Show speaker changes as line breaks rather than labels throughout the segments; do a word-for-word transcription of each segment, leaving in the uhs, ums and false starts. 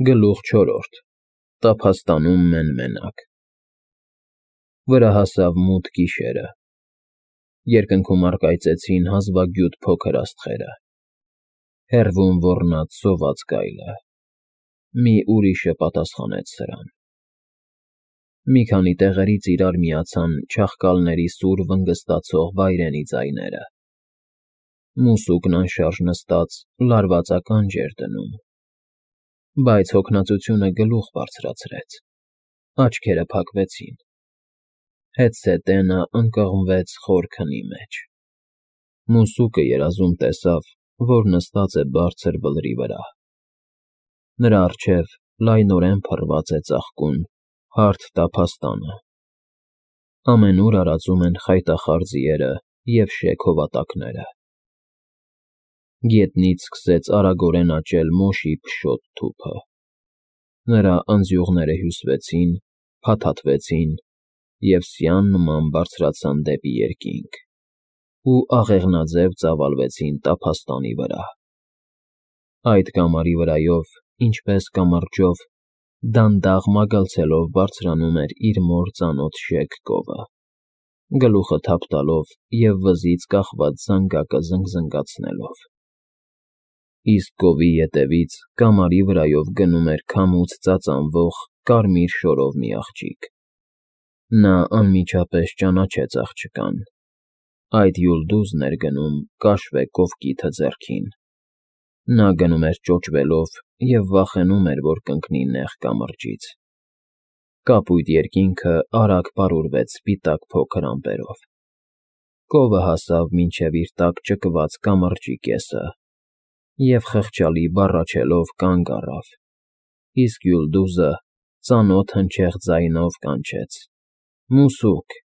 Գլուխ չորրորդ Տափաստանում մեն֊մենակ Վրա հասավ մութ գիշերը, երկնքում առկայծեցին հազվագյուտ փոքր աստղերը, հեռվում ոռնաց սոված գայլը, մի ուրիշը պատասխանեց սրան, մի քանի տեղերից իրար միացան չաղկալների սուր վնգստացող վայրենի ձայները, մուսուկն անշարժ նստած լարված ականջ էր դնում, բայց հոգնածությունը գլուխ բարձրացրեց, աչքերը փակվեցին, հետզհետե նա ընկղմվեց խոր քնի մեջ, մուսուկը երազում տեսավ, որ նստած է բարձր բլրի վրա, նրա առջև լայնորեն փռված է ծաղկուն հարթ տափաստանը, ամենուր արածում են խայտախառ ձիերը և շեք հովատակները, գետնից սկսեց արագորեն աճել մոշի փշոտ թուփը, նրա ընձյուղները հյուսվեցին, փաթաթվեցին և սյան նման բարձրացան դեպի երկինք ու աղեղնաձև ծավալվեցին տափաստանի վրա, այդ կամարի վրայով, ինչպես կամրջով, դանդաղ մագլցելով բարձրանում էր իր մոր ծանոթ շեկ կովը, գլուխը թափ տալով և վզից կախված զանգակը զնգզնգացնելով, իսկ կովի ետևից կամարի վրայով գնում էր քամուց ծածանվող կարմիր շորով մի աղջիկ, նա անմիջապես ճանաչեց աղջկան, այդ Յուլդուզն էր գնում կաշվե կովկիթը ձեռքին, նա գնում էր ճոճվելով և վախենում էր, որ կընկնի նեղ կամրջից, կապույտ երկինքը արագ պարուրվեց սպիտակ փոքր ամպերով, կովը հասավ մինչև իր տակ ճկված կամրջի կեսը և խղճալի բառաչելով կանգ առավ, իսկ Յուլդուզը ծանոթ հնչեղ ձայնով կանչեց. «Մուսուկ»։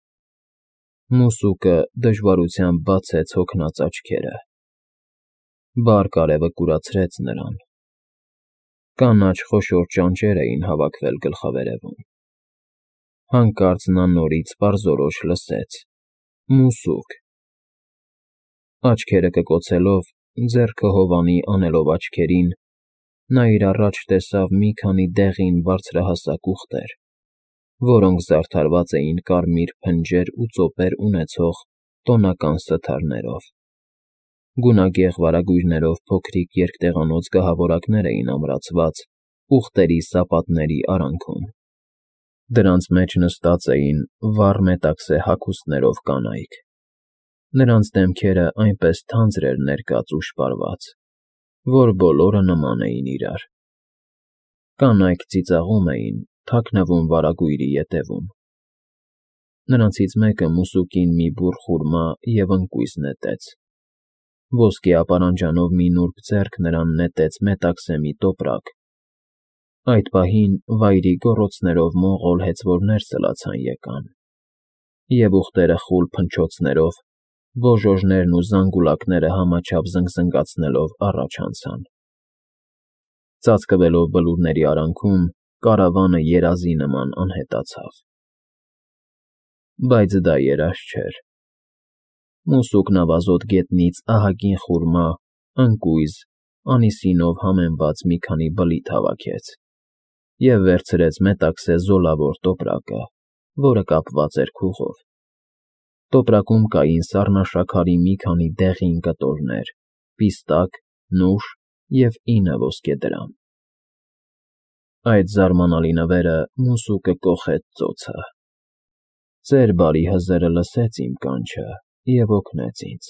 Մուսուկը դժվարությամբ բացեց հոգնած աչքերը, բարկ արևը կուրացրեց նրան, կանաչ խոշոր ճանճեր էին հավաքվել գլխավերևում, հանկարծ նա նորից պարզորոշ լսեց. «Մուսուկ»։ Աչքերը կկոցելով, ձեռքը հովանի անելով աչքերին, նա իր առաջ տեսավ մի քանի դեղին բարձրահասակ ուղտեր, որոնք զարդարված էին կարմիր փնջեր ու ծոպեր ունեցող տոնական սթարներով, գունագեղ վարագույրներով փոքրիկ երկտեղանոց գահավորակներ էին ամրացված ուղտերի սապատների արանքում, դրանց մեջ նստած էին վառ մետաքսե հագուստներով կանայք, նրանց դեմքերը այնպես թանձր էր ներկած ու շպարված, որ բոլորը նման էին իրար, կանայք ծիծաղում էին, թաքնվում վարագույրի ետևում, նրանցից մեկը մուսուկին մի բուռ խուրմա և ընկույզ նետեց, ոսկե ապարանջանով մի նուրբ ձեռք նրան նետեց մետաքսե մի տոպրակ, այդ պահին վայրի գոռոցներով մոնղոլ հեծվորներ սլացան եկան, և ուղտերը խուլ փնչոցներով, բոժոժներն ու զանգուլակները համաչափ զնգզնգացնելով առաջ անցան, ծածկվելով բլուրների արանքում, կարավանը երազի նման անհետացավ, բայց դա երազ չէր, մուսուկն ավազոտ գետնից ահագին խուրմա, ընկույզ, անիսինով համեմված մի քանի բլիթ հավաքեց և վերցրեց մետաքսե զոլավոր տոպրակը, որը կապված էր քուղով, տոպրակում կային սառնաշաքարի մի քանի դեղին կտորներ, պիստակ, նուշ և ինը ոսկեդրամ, այդ զարմանալի նվերը մուսուկը կոխեց ծոցը, «Ծեր բարի հզերը լսեց իմ կանչը և օգնեց ինձ»,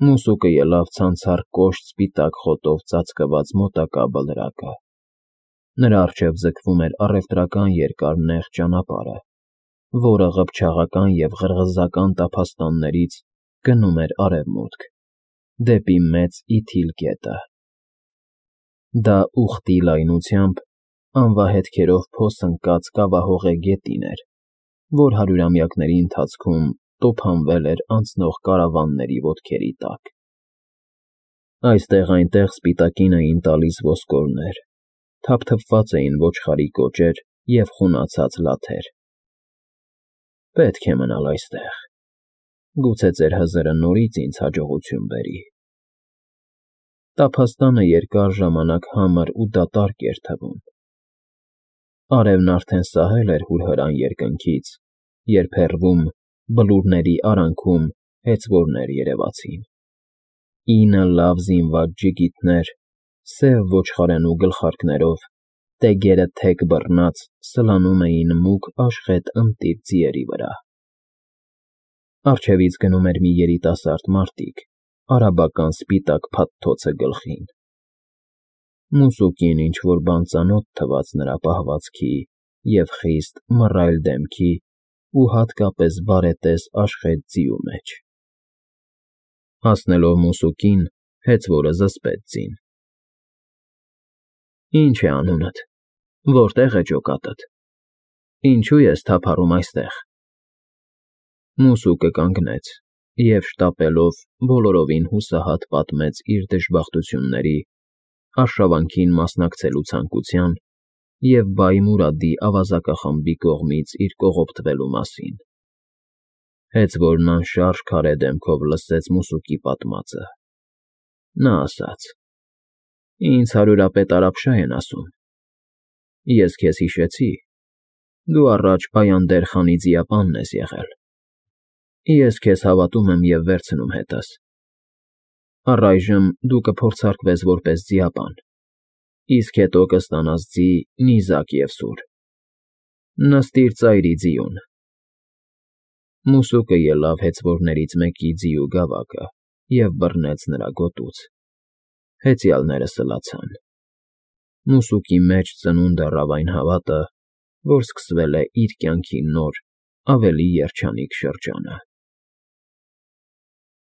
մուսուկը ելավ ցանցառ կոշտ սպիտակ խոտով ծածկված մոտակա բլրակը, նրա առջև ձգվում էր առևտրական երկար նեղ ճանապարհը, որը ղփչաղական և ղրղզական տափաստաններից գնում էր արևմուտք, դեպի Մեծ Իթիլ գետը, դա ուղտի լայնությամբ, անվահետքերով փոս ընկած կավահողե գետին էր, որ հարյուրամյակների ընթացքում տոփանվել էր անցնող կարավանների ոտքերի տակ, այստեղ֊այնտեղ սպիտակին էին տալիս ոսկորներ, թափթփված էին ոչխարի կոճեր և խունացած լաթեր, պետք է մնալ այստեղ, գուցե ծեր հզերը նորից ինձ հաջողություն բերի, Տափաստանը երկար ժամանակ համր ու դատարկ էր թվում։ Արևն արդեն սահել էր հուրհրան երկնքից, երբ հեռվում, բլուրների արանքում հեծվորներ երևացին։ Ինը լավ զինված ջիգիտներ, սև ոչխարենու գլխարկներով, դեգերը թեք բռնած սլանում էին մուգ աշխատ ընտիր ձիերի վրա։ Առջևից գնում էր մի երիտասարդ մարտիկ, արաբական սպիտակ փաթթոցը գլխին։ Մուսուկին ինչ֊որ բան ծանոթ թվաց նրա պահվածքի և խիստ մռայլ դեմքի ու հատկապես բարետես աշխատ ձիու մեջ։ Հասնելով մուսուկին, հեծվորը զսպեց ձին։ ֊ Ի՞նչ է անունդ, որտե՞ղ է ջոկատդ, ինչո՞ւ ես թափառում այստեղ։ Մուսուկը կանգնեց և, շտապելով, բոլորովին հուսահատ պատմեց իր դժբախտությունների, արշավանքին մասնակցելու ցանկության և Բայ Մուրադի ավազակախմբի կողմից իր կողոպտվելու մասին։ Հեծվորն անշարժ քարե դեմքով լսեց մուսուկի պատմածը։ Նա ասաց. «Ինձ հարյուրապետ Արաբշա են ասում։ Ես քեզ հիշեցի, դու առաջ Բայանդեր խանի ձիապանն ես եղել։ Ես քեզ հավատում եմ և վերցնում հետս։ Առայժմ դու կփորձարկվես որպես ձիապան, իսկ հետո կստանաս ձի նիզակ և սուր։ Նստիր ծայրի ձիուն»։ Մուսուկը ելավ հեծվորներից մեկի ձիու գավակը և բռնեց նրա գոտուց։ Հեծյալները սլացան։ Մուսուկի մեջ ծնունդ առավ այն հավատը, որ սկսվել է իր կյանքի նոր, ավելի երջանիկ շրջանը։